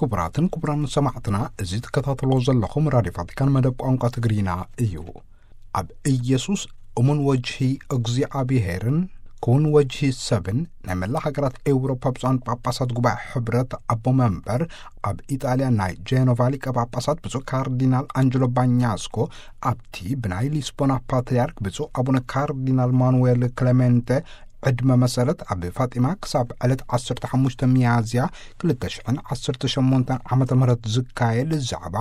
ክቡራትን ክቡራን ሰማዕትና፣ እዚ ትከታተሎ ዘለኹም ራድዮ ቫቲካን መደብ ቋንቋ ትግርኛ እዩ። ኣብ ኢየሱስ እሙን ወጅሂ እግዚኣብሔርን ክውን ወጅሂ ሰብን ናይ መላ ሃገራት ኤውሮፓ ብፁዓን ጳጳሳት ጉባኤ ሕብረት ኣቦ መንበር ኣብ ኢጣልያ ናይ ጄኖቫ ሊቀ ጳጳሳት ብፁዕ ካርዲናል ኣንጀሎ ባኛስኮ ኣብቲ ብናይ ሊስቦና ፓትርያርክ ብፁዕ ኣቡነ ካርዲናል ማኑዌል ክለሜንተ ዕድመ መሰረት ኣብ ፋጢማ ክሳብ ዕለት ዓሰርተ ሓሙሽተ ሚያዝያ ክልተ ሽሕን ዓሰርተ ሸሞንተን ዓመተ ምህረት ዝካየድ ዛዕባ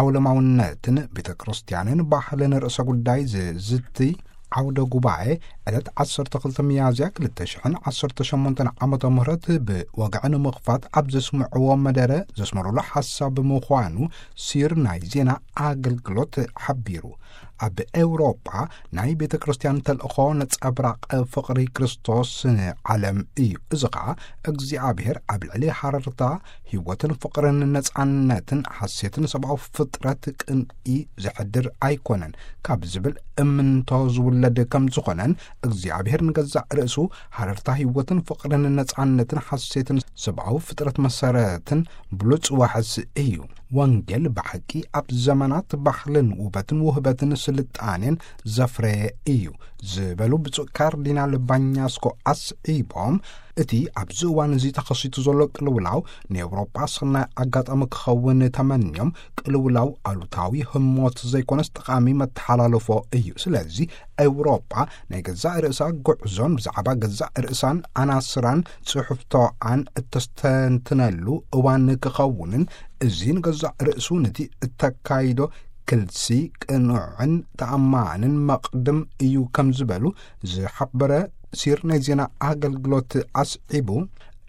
ዓውለማውነትን ቤተ ክርስቲያንን ባህልን ርእሰ ጉዳይ ዝዝቲ ዓውደ ጉባኤ ዕለት ዓሰርተ ክልተ ሚያዝያ ክልተ ሽሕን ዓሰርተ ሸሞንተን ዓመተ ምህረት ብወግዒ ንምኽፋት ኣብ ዘስምዕዎ መደረ ዘስመሩሉ ሓሳብ ምዃኑ ሲር ናይ ዜና ኣገልግሎት ሓቢሩ። ኣብ ኤውሮጳ ናይ ቤተ ክርስቲያን ተልእኾ ነጸብራቕ ፍቕሪ ክርስቶስ ንዓለም እዩ። እዚ ኸኣ እግዚኣብሔር ኣብ ልዕሊ ሃረርታ ህይወትን ፍቕርን ነጻነትን ሓሴትን ሰብኣዊ ፍጥረት ቅንኢ ዘሕድር ኣይኮነን ካብ ዝብል እምንቶ ዝውለድ ከም ዝኾነን እግዚኣብሔር ንገዛእ ርእሱ ሃረርታ ህይወትን ፍቕርን ነጻነትን ሓሴትን ሰብኣዊ ፍጥረት መሰረትን ብሉጽ ዋሕስ እዩ። ወንጌል ብሓቂ ኣብ ዘመናት ባህልን ውበትን ውህበትን ስልጣኔን ዘፍረየ እዩ ዝበሉ ብፁዕ ካርዲናል ባኛስኮ ኣስዒቦም፣ እቲ ኣብዚ እዋን እዚ ተኸሲቱ ዘሎ ቅልውላው ንኤውሮጳ ሰናይ ኣጋጣሚ ክኸውን ተመንዮም፣ ቅልውላው ኣሉታዊ ህሞት ዘይኮነስ ጠቓሚ መተሓላለፎ እዩ። ስለዚ ኤውሮጳ ናይ ገዛእ ርእሳ ጉዕዞን ብዛዕባ ገዛእ ርእሳን ኣናስራን ጽሑፍቶኣን እተስተንትነሉ እዋን ክኸውንን፣ እዚ ንገዛእ ርእሱ ነቲ እተካይዶ ክልሲ ቅኑዕን ተኣማንን መቕድም እዩ ከም ዝበሉ ዝሓበረ ሲር ናይ ዜና ኣገልግሎት ኣስዒቡ፣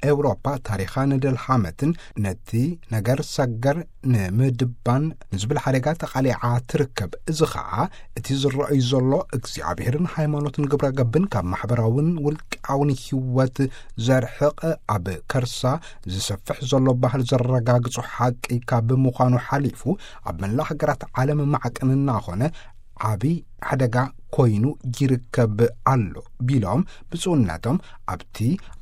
ኤውሮፓ ታሪኻ ንደልሓመትን ነቲ ነገር ሰገር ንምድባን ንዝብል ሓደጋ ተቓሊዓ ትርከብ። እዚ ኸኣ እቲ ዝረኣዩ ዘሎ እግዚኣብሔርን ሃይማኖትን ግብረ ገብን ካብ ማሕበራውን ውልቃውን ህይወት ዘርሕቕ፣ ኣብ ከርሳ ዝሰፍሕ ዘሎ ባህል ዘረጋግጹ ሓቂ ካብ ምዃኑ ሓሊፉ ኣብ መላእ ሃገራት ዓለም ማዕቀን እናኾነ ዓቢ ሓደጋ ኮይኑ ይርከብ ኣሎ ቢሎም ብፁዕነቶም ኣብቲ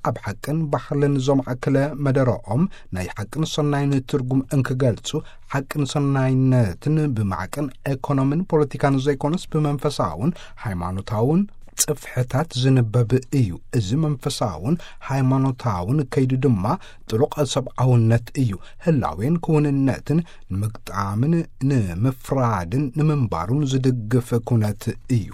ኣብ ሓቅን ባህልን ዘማእከለ መደረኦም ናይ ሓቅን ሰናይን ትርጉም እንክገልጹ፣ ሓቅን ሰናይነትን ብማዕቀን ኤኮኖምን ፖለቲካን ዘይኮነስ ብመንፈሳውን ሃይማኖታውን ጽፍሕታት ዝንበብ እዩ። እዚ መንፈሳውን ሃይማኖታውን ከይዱ ድማ ጥሉቕ ሰብኣውነት እዩ። ህላዌን ክውንነትን ንምግጣምን ንምፍራድን ንምንባሩን ዝድግፍ ኩነት እዩ።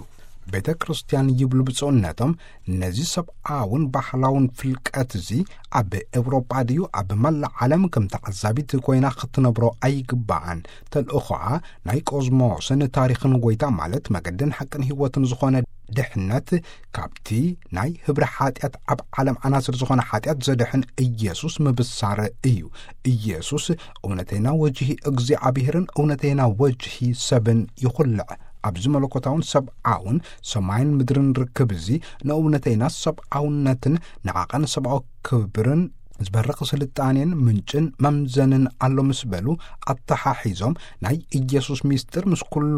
ቤተ ክርስቲያን ይብሉ ብፁዕነቶም፣ ነዚ ሰብኣውን ባህላውን ፍልቀት እዚ ኣብ ኤውሮጳ ድዩ ኣብ መላእ ዓለም ከም ተዓዛቢት ኮይና ክትነብሮ ኣይግባኣን። ተልእኾኣ ናይ ቆዝሞስን ታሪኽን ጎይታ ማለት መገድን ሓቅን ህይወትን ዝኾነ ድሕነት ካብቲ ናይ ህብረ ሓጢኣት ኣብ ዓለም ዓናስር ዝኾነ ሓጢኣት ዘድሕን ኢየሱስ ምብሳር እዩ። ኢየሱስ እውነተይና ወጅሂ እግዚኣብሔርን እውነተይና ወጅሂ ሰብን ይኹልዕ። ኣብዚ መለኮታውን ሰብኣውን ሰማይን ምድርን ርክብ እዚ ንእውነተይና ሰብኣውነትን ንዓቐን ሰብኣዊ ክብርን ዝበርኽ ስልጣኔን ምንጭን መምዘንን ኣሎ ምስ በሉ ኣተሓሒዞም ናይ ኢየሱስ ምስጢር ምስ ኩሉ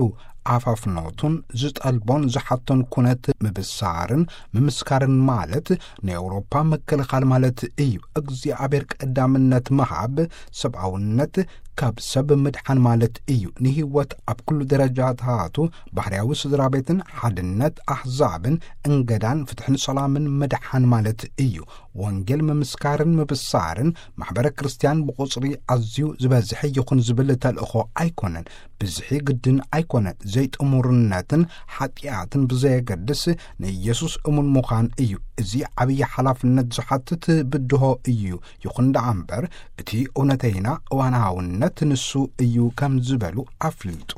ኣፋፍኖቱን ዝጠልቦን ዝሓቶን ኩነት ምብሳርን ምምስካርን ማለት ንኤውሮፓ ምክልኻል ማለት እዩ። እግዚኣብሔር ቀዳምነት ምሃብ ሰብኣውነት ካብ ሰብ ምድሓን ማለት እዩ። ንህይወት ኣብ ኩሉ ደረጃታቱ ባህርያዊ ስድራ ቤትን ሓድነት ኣሕዛብን እንገዳን ፍትሕን ሰላምን ምድሓን ማለት እዩ። ወንጌል ምምስካርን ምብሳርን ማሕበረ ክርስቲያን ብቁጽሪ ኣዝዩ ዝበዝሐ ይኹን ዝብል ተልእኾ ኣይኮነን። ብዝሒ ግድን ኣይኮነን። ዘይጥሙርነትን ሓጢኣትን ብዘየገድስ ንኢየሱስ እሙን ምዃን እዩ። እዚ ዓብዪ ሓላፍነት ዝሓትት ብድሆ እዩ። ይኹን ደኣ እምበር እቲ እውነተይና እዋናውነት ንሱ እዩ ከም ዝበሉ ኣፍሊጡ።